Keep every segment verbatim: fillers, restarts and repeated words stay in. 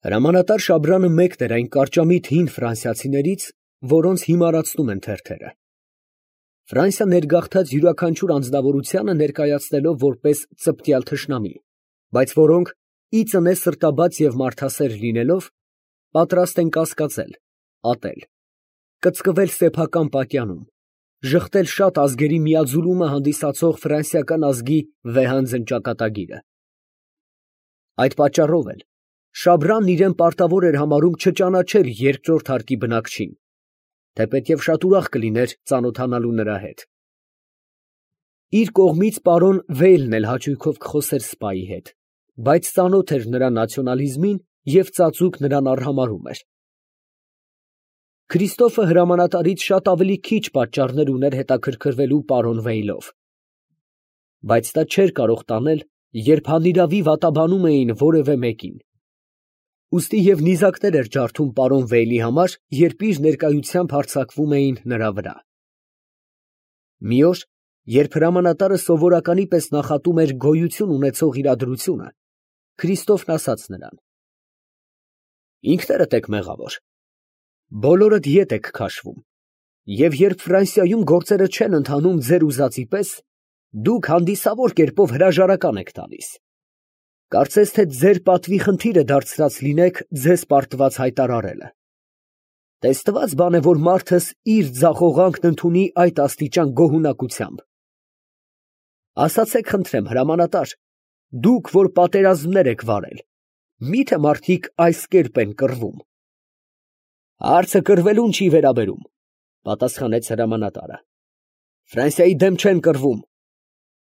Հրամանատար Շաբրանը մեկն էր այն կարճամիտ հին ֆրանսիացիներից, որոնց հիմարացնում են թերթերը. Ֆրանսիա ներգաղթած յուրաքանչյուր անձնավորությանը ներկայացնելով որպես ծպտյալ թշնամի, բայց որոնք, ի ծնե սրտաբաց և մարդասեր լինելով, պատրաստ են կասկածել, ատել, կծկվել սեփական պատյանում, ժխտել շատ ազգերի միաձուլումը հանդիսացող ֆրանսիական ազգի վեհանձն ճակատագիրը։ Այդ պատճառով էլ Շաբրանն իրան պարտավոր էր համարում չճանաչել երկրորդ հարկի բնակչին, թեպետև շատ ուրախ կլիներ ծանոթանալու նրա հետ։ Իր կողմից պարոն Վեյլն էլ հաճույքով կխոսեր սպայի հետ, բայց ծանոթ էր նրա նացիոնալիզմին և ծածուկ նրան արհամարհում էր։ Քրիստոֆը հրամանատարից շատ ավելի քիչ պատճառներ ուներ հետաքրքրվելու պարոն Վեյլով, բայց դա չէր կարող տանել, երբ անիրավի վատաբանում էին որևէ մեկին։ Ուստի և նիզակներ էր ջարդում պարոն Վեյլի համար, երբ իր ներկայությամբ հարձակվում էին նրա վրա։ Մի օր, երբ հրամանատարը սովորականի պես նախատում էր գոյություն ունեցող իրադրությունը, Քրիստոֆն ասաց նրան. «Ինքներդ եք մեղավոր, բոլորդ ետ եք քաշվում, և երբ Ֆրանսիայում գործերը չեն ընթանում ձեր ուզածի պես, դուք հանդիսավոր կերպով հրաժարական եք տալիս։ Կարծես թե ձեր պատվի խնդիրը դարձրած լինեք ձեզ պարտված հայտարարելը։ Տեսնված բան է, որ մարդս իր ձախողանքն ընդունի այդ աստիճան գոհունակությամբ։ Ասացեք խնդրեմ, հրամանատար, դուք, որ պատերազմներ եք վարել, մի՞թե մարդիկ այս կերպ են կռվում»։ «Հարցը կռվելուն չի վերաբերում», պատասխանեց հրամանատարը։ «Ֆրանսիայի դեմ չեն կռվում։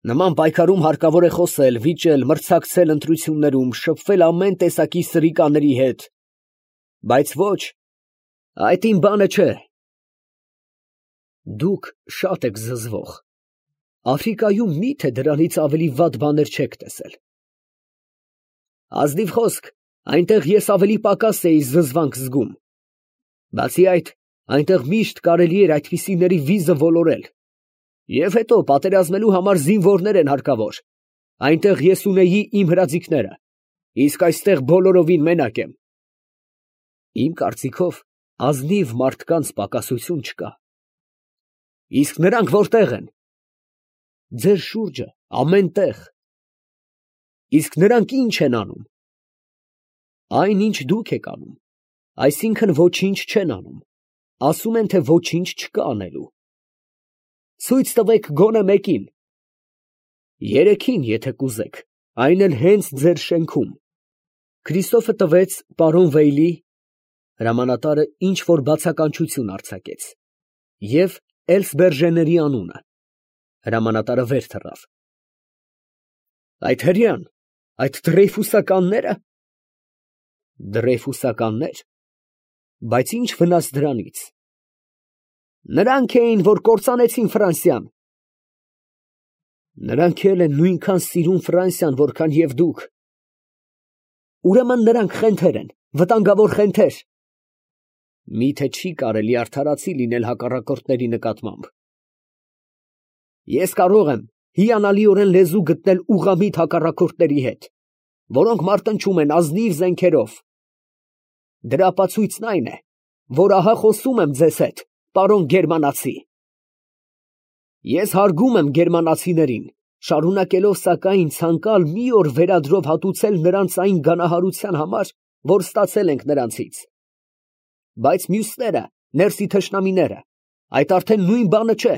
Նման պայքարում հարկավոր է խոսել, վիճել, մրցակցել ընտրություններում, շփվել ամեն տեսակի սրիկաների հետ, բայց ոչ, այդ իմ բանը չէ»։ Դուք շատ եք զզվող, Աֆրիկայում մի՞թե դրանից ավելի վատ բաներ չեք տեսել։ Ազնիվ խոսք, այնտեղ ես ավելի պակաս էի զզվանք զգում։ Բացի այդ, այնտեղ միշտ կարելի էր այդպիսիների վիզը ոլորել։ Եվ հետո պատերազմելու համար զինվորներ են հարկավոր։ Այնտեղ ես ունեի իմ հրաձիգները, իսկ այստեղ բոլորովին մենակ եմ։ Իմ կարծիքով, ազնիվ մարդկանց պակասություն չկա։ Իսկ նրանք որտե՞ղ են։ Ձեր շուրջը, ամեն տեղ։ Իսկ նրանք ի՞նչ են անում։ Այն, ինչ դուք եք անում, այսինքն ոչինչ չեն անում, ասում են, թե ոչինչ չկա անելու։ Ցույց տվեք գոնե մեկին։ Երեքին, եթե կուզեք, այն էլ հենց ձեր շենքում։ Քրիստոֆը տվեց պարոն Վեյլի, հրամանատարը ինչ որ բացականչություն արձակեց, և Էլսբերժեների անունը։ Հրամանատարը վեր թռավ։ Այդ հրեան, այդ դրեյֆուսականնե՞րը։ Դրեյֆուսականնե՞ր, բայց ի՞նչ վնաս դրանից։ Նրանք էին, որ կործանեցին Ֆրանսիան։ Նրանք էլ են նույնքան սիրում Ֆրանսիան, որքան և դուք։ Ուրեմն նրանք խենթեր են, վտանգավոր խենթեր։ Մի՞թե չի կարելի արդարացի լինել հակառակորդների նկատմամբ։ Ես կարող եմ հիանալիորեն լեզու գտնել ուղղամիտ հակառակորդների հետ, որոնք մարտնչում են ազնիվ զենքերով։ Դրա ապացույցն այն է, որ ահա խոսում եմ ձեզ հետ, պարոն գերմանացի։ Ես հարգում եմ գերմանացիներին, շարունակելով սակայն ցանկալ մի օր վերադրով հատուցել նրանց այն գանահարության համար, որ ստացել ենք նրանցից։ Բայց մյուսները, ներսի թշնամիները, այդ արդեն նույն բանը չէ։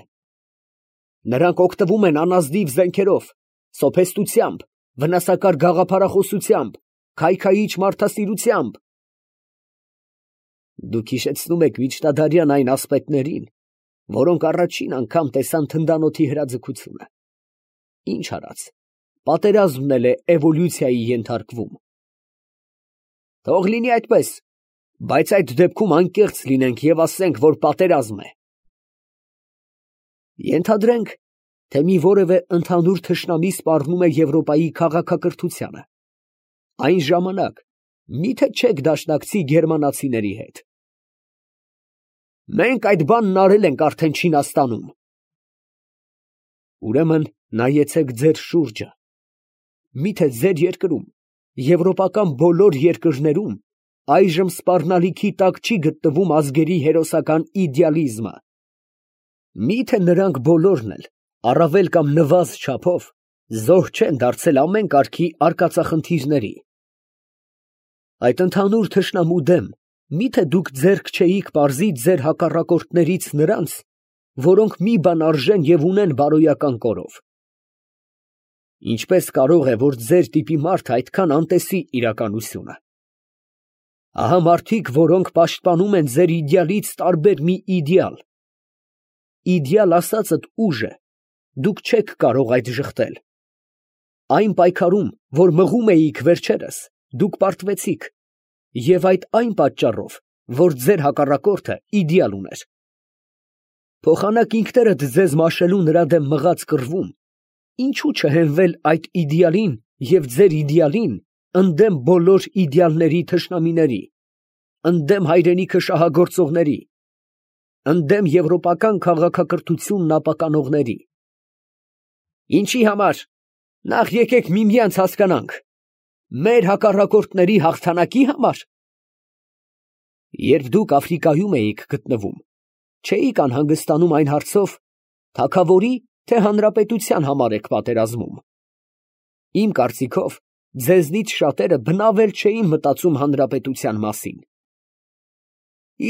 Նրանք օգտվում են անազնիվ զենքերով, սոփեստությամբ, վնասակար գաղափարախոսությամբ, քայքայիչ մարդասիրությամբ։ Դուք հիշեցնում եք միջնադարյան այն ասպետներին, որոնք առաջին անգամ տեսան թնդանոթի հրաձգությունը։ Ինչ արած, պատերազմն էլ է էվոլյուցիայի ենթարկվում։ Թող լինի այդպես, բայց այդ դեպքում անկեղծ լինենք և ասենք, որ պատերազմ է։ Ենթադրենք, թե մի որևէ ընդհանուր թշնամի սպառնում է Եվրոպայի քաղաքակրթությանը։ Այն ժամանակ մի՞թե չեք դաշնակցի գերմանացիների հետ։ Մենք այդ բանն արել ենք արդեն Չինաստանում։ Ուրեմն նայեցեք ձեր շուրջը։ Մի՞թե ձեր երկրում, եվրոպական բոլոր երկրներում այժմ սպառնալիքի տակ չի գտնվում ազգերի հերոսական իդեալիզմը։ Միթե նրանք բոլորն էլ, առավել կամ նվազ չափով, զոհ չեն դարձել ամեն կարգի արկածախնդիրների։ Այդ ընդհանուր թշնամու դեմ միթե դուք ձեռք չէիք պարզի ձեր հակառակորդներից նրանց, որոնք մի բան արժեն և ունեն բարոյական կորով։ Ինչպես կարող է, որ ձեր տիպի մարդը այդքան անտեսի իրականությունը։ Ահա մարդիկ, որոնք պաշտպանում են ձեր իդեալից տարբեր մի իդեալ։ Իդեալ ասածդ ուժ է, դուք չեք կարող այդ ժխտել։ Այն պայքարում, որ մղում էիք վերջերս, դուք պարտվեցիք, և այդ այն պատճառով, որ ձեր հակառակորդը իդեալ ուներ։ Փոխանակ ինքներդ ձեզ մաշելու նրա դեմ մղած կռվում, ինչու չհենվել այդ իդեալին և ձեր իդեալին ընդդեմ բոլոր իդեալների թշնամիների, ընդդեմ հայրենիքը շահագործողների, ընդդեմ եվրոպական քաղաքակրթությունն ապականողների։ Ինչի համար։ Նախ եկեք միմյանց հասկանանք։ Մեր հակառակորդների հաղթանակի համար։ Երբ դուք Աֆրիկայում էիք գտնվում, չէիք անհանգստանում այն հարցով, թագավորի թե հանրապետության համար եք պատերազմում։ Իմ կարծիքով, ձեզնից շատերը բնավ էլ չէին մտածում հանրապետության մասին։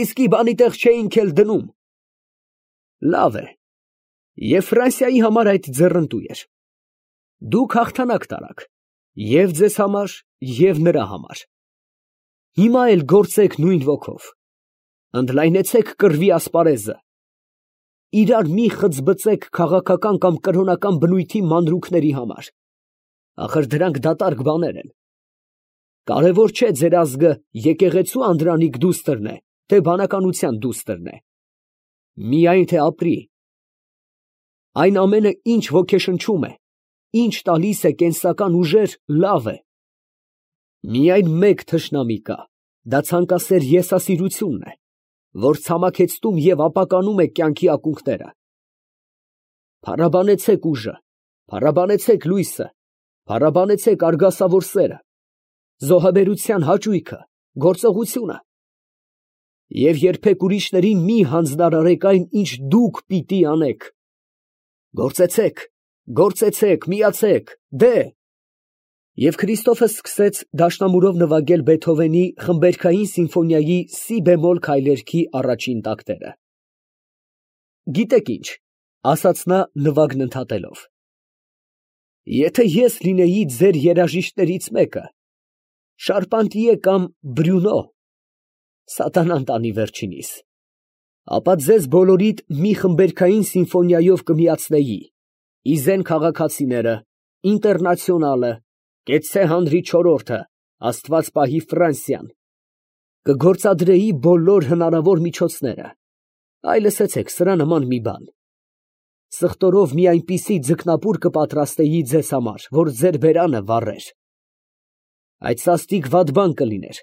Իսկի բանի տեղ չէինք էլ դնում։ Լավ է։ Եվ Ֆրանսիայի համար այդ ձեռնտու էր։ Դուք հաղթանակ տարաք, և ձեզ համար, և նրա համար։ Հիմա էլ գործեք նույն ոգով։ Ընդլայնեցեք կռվի ասպարեզը։ Իրար մի խծբծեք քաղաքական կամ կրոնական բնույթի մանրուքների համար։ Ախր դրանք դատարկ բաներ են։ Կարևոր չէ ձեր ազգը եկեղեցու անդրանիկ դուստրն է, թե բանականության դուստրն է։ Միայն թե ապրի։ Այն ամենը, ինչ ոգեշնչում է, ինչ տալիս է կենսական ուժեր, լավ է։ Միայն մեկ թշնամի կա, դա ցանկասեր եսասիրությունն է, որ ցամաքեցնում և ապականում է կյանքի ակունքները։ Փառաբանեցեք ուժը, փառաբանեցեք լույսը, փառաբանեցեք արգասավոր սերը, զոհաբերության հաճույքը, գործողությունը։ Եվ երբեք ուրիշներին մի հանձնարարեք այն, ինչ դուք պիտի անեք։ Գործեցեք, գործեցեք, միացեք, դե։ Եվ Քրիստոֆը սկսեց դաշնամուրով նվագել Բեթհովենի խմբերգային սիմֆոնիայի սի բեմոլ քայլերքի առաջին տակտերը։ Գիտեք ինչ, ասաց նա նվագն ընդհատելով, եթե ես լինեի ձեր երաժիշտներից մեկը, Շարպանտիե կամ Բրյունո, սատանան տանի վերջինիս, ապա ձեզ բոլորիդ մի խմբերգային սիմֆոնիայով կմիացնեի, Իզեն քաղաքացիները, Ինտերնացիոնալը, Կեցցե հանրի չորրորդը, Աստված պահի Ֆրանսիան, կգործադրեի բոլոր հնարավոր միջոցները, այ լսեցեք սրա նման մի բան, սխտորով մի այնպիսի ձկնապուր կպատրաստեի ձեզ համար, որ ձեր բերանը վառեր, այդ սաստիկ վատ բան կլիներ,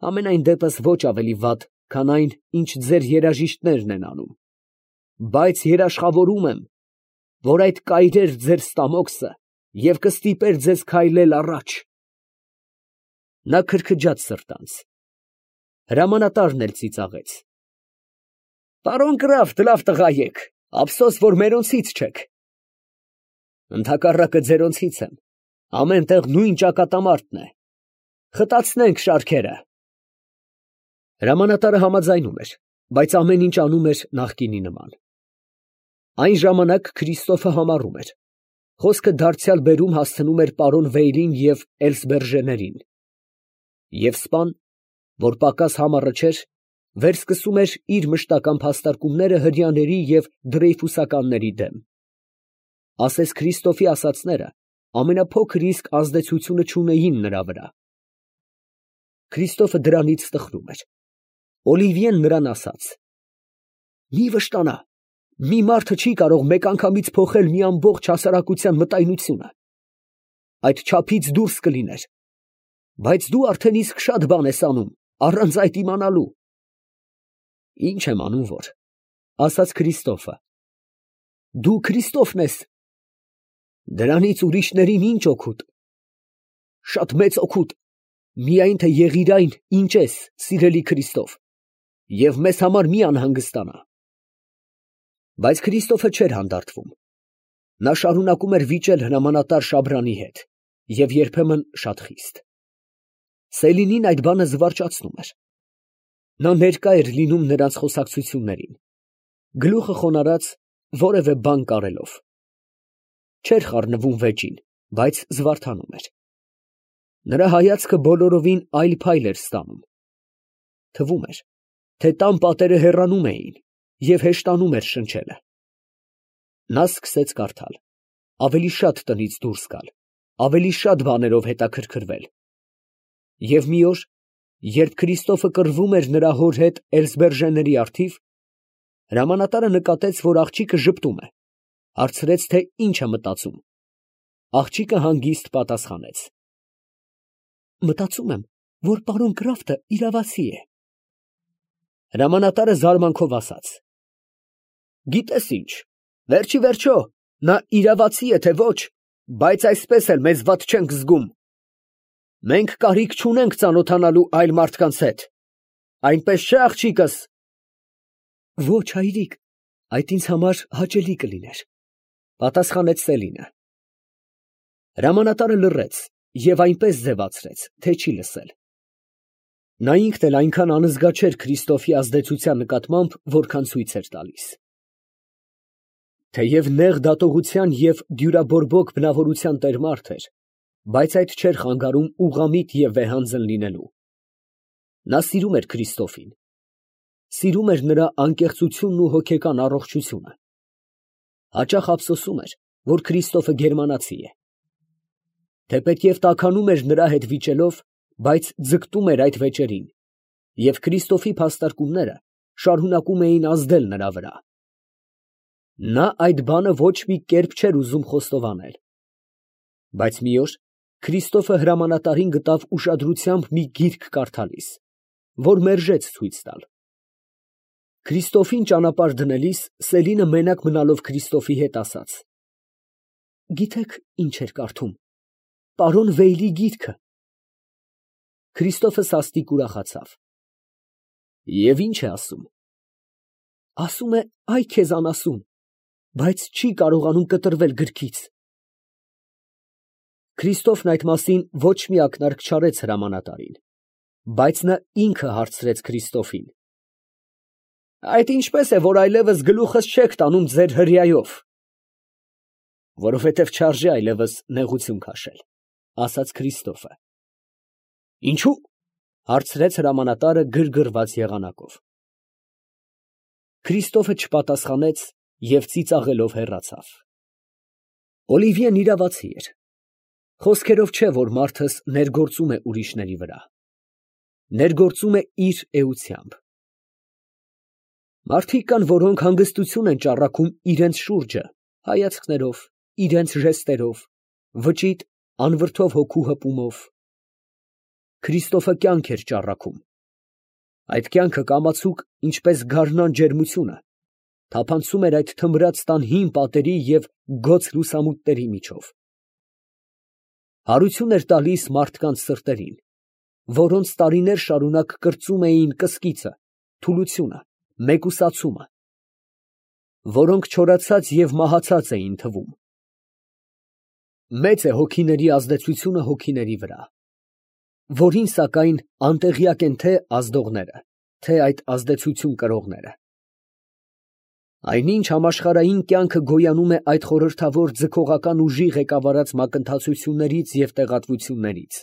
ամենայն դեպս ոչ ավելի վատ, քան այն, ինչ ձեր երաժիշտներն են անում, բայց երաշխավորում եմ, որ այդ կայրեր ձեր ստամոքսը և կստիպեր ձեզ քայլել առաջ։ Նա քրքջաց սրտանց։ Հրամանատարն էլ ծիծաղեց։ Պարոն գրաֆ, լավ տղա եք, ափսոս, որ մերոնցից չեք։ Ընդհակառակը ձերոնցից եմ, ամեն տեղ նույն ճակատամարտն է։ Խտացնենք շարքերը։ Հրամանատարը համաձայնում էր, բայց ամեն ինչ անում էր նախկինի նման։ Այն ժամանակ Քրիստոֆը համառում էր։ Խոսքը դարձյալ բերում հասցնում էր պարոն Վեյլին և Էլսբերժեներին։ Եվ սպան, որ պակաս համառը չէր, վերսկսում էր իր մշտական փաստարկումները հրեաների և դրեյֆուսականների դեմ։ Ասես Քրիստոֆի ասածները ամենափոքր իսկ ազդեցությունը չունեին նրա վրա։ Քրիստոֆը դրանից տխրում էր։ Օլիվիեն նրան ասաց. «Մի վշտանա, մի մարդը չի կարող մեկ անգամից փոխել մի ամբողջ հասարակության մտայնությունը։ Այդ չափից դուրս կլիներ, բայց դու արդեն իսկ շատ բան ես անում, առանց այդ իմանալու»։ «Ինչ եմ անում որ», ասաց Քրիստոֆը։ «Դու Քրիստոֆն ես»։ «Դրանից ուրիշներին ինչ օգուտ»։ «Շատ մեծ օգուտ, միայն թե եղիր այն, ինչ ես, սիրելի Քրիստով, և մեզ համար մի անհանգստանա։ Բայց Քրիստոֆը չէր հանդարտվում. նա շարունակում էր վիճել հրամանատար Շաբրանի հետ, և երբեմն շատ խիստ։ Սելինին այդ բանը զվարճացնում էր. նա ներկա էր լինում նրանց խոսակցություններին, գլուխը խոնարհած որևէ բան կարելով, չէր խառնվում վեճին, բայց զվարթանում էր։ Նրա հայացքը բոլորովին այլ փայլ էր ստանում. թվում էր, թե տան պատերը հեռանում էին և հեշտանում էր շնչելը։ Նա սկսեց կարդալ, ավելի շատ տնից դուրս գալ, ավելի շատ բաներով հետաքրքրվել։ Եվ մի օր, երբ Քրիստոֆը կռվում էր նրա հոր հետ Էլսբերժեների առթիվ, հրամանատարը նկատեց, որ աղջիկը ժպտում է, հարցրեց, թե ինչ է մտածում։ Աղջիկը հանգիստ պատասխանեց. «Մտածում եմ, որ պարոն Կրաֆտը իրավացի է»։ Հրամանատարը զարմանքով ասաց. «Գիտես ինչ, վերջիվերջո, նա իրավացի է, թե ոչ, բայց այսպես էլ մեզ վատ չենք զգում։ Մենք կարիք չունենք ծանոթանալու այլ մարդկանց հետ, այնպես չէ՞, աղջիկս»։ «Ոչ, հայրիկ, այդ ինձ համար հաճելի կլիներ», պատասխանեց Սելինը։ Հրամանատարը լռեց և այնպես ձևացրեց, թե չի լսել։ Նա ինքն էլ այնքան անզգա չէր Քրիստոֆի ազդեցության նկատմամբ, որքան ցույց էր տալիս։ Թեև նեղ դատողության և դյուրաբորբոք բնավորության տեր մարդ էր, բայց այդ չէր խանգարում ուղղամիտ և վեհանձն լինելու։ Նա սիրում էր Քրիստոֆին, սիրում էր նրա անկեղծությունն ու հոգեկան առողջությունը։ Հաճախ ափսոսում էր, որ Քրիստոֆը գերմանացի է։ Թեպետև տաքանում էր նրա հետ վիճելով, բայց ձգտում էր այդ վեճերին, և Քրիստոֆի փաստարկումները շարունակում էին ազդել նրա վրա։ Նա այդ բանը ոչ մի կերպ չէր ուզում խոստովանել։ Բայց մի օր Քրիստոֆը հրամանատարին գտավ ուշադրությամբ մի գիրք կարդալիս, որ մերժեց ցույց տալ։ Քրիստոֆին ճանապարհ դնելիս Սելինը մենակ մնալով Քրիստոֆի հետ ասաց. «Գիտեք, ինչ էր կարդում, պարոն Վեյլի գիրքը»։ Քրիստոֆը սաստիկ ուրախացավ։ «Եվ ի՞նչ է ասում»։ «Ասում է, այ քեզ անասուն, բայց չի կարողանում կտրվել գրքից»։ Քրիստոֆն այդ մասին ոչ մի ակնարկ չարեց հրամանատարին, բայց նա ինքը հարցրեց Քրիստոֆին. «Այդ ինչպե՞ս է, որ այլևս գլուխս չեք տանում ձեր հրեայով»։ «Որովհետև չարժե այլևս նեղություն քաշել», ասաց Քրիստոֆը։ «Ինչո՞ւ»։ հարցրեց հրամանատարը գրգռված եղանակով։ Քրիստոֆը չպատասխանեց և ծիծաղելով հեռացավ։ Օլիվիեն իրավացի էր։ Խոսքերով չէ, որ մարդս ներգործում է ուրիշների վրա։ Ներգործում է իր էությամբ։ Մարդիկ կան, որոնք հանգստություն են ճառագում իրենց շուրջը հայացքներով, իրենց ժեստերով, վճիտ, անվրդով հոգու հպումով։ Քրիստոֆը կյանք էր ճառագում։ Այդ կյանքը կամացուկ, ինչպես գարնան ջերմությունը, թափանցում էր այդ թմրած տան հին պատերի և գոց լուսամուտների միջով։ Հարություն էր տալիս մարդկանց սրտերին, որոնց տարիներ շարունակ կրծում էին կսկիծը, թուլությունը, մեկուսացումը, որոնք չորացած և մահացած էին թվում։ Մեծ է հոգիների ազդեցությունը հոգիների վրա, որին սակայն անտեղյակ են թե ազդողները, թե այդ ազդեցություն կրողները։ Այնինչ համաշխարհային կյանքը գոյանում է այդ խորհրդավոր ձգողական ուժի ղեկավարած մակընթացություններից և տեղատվություններից։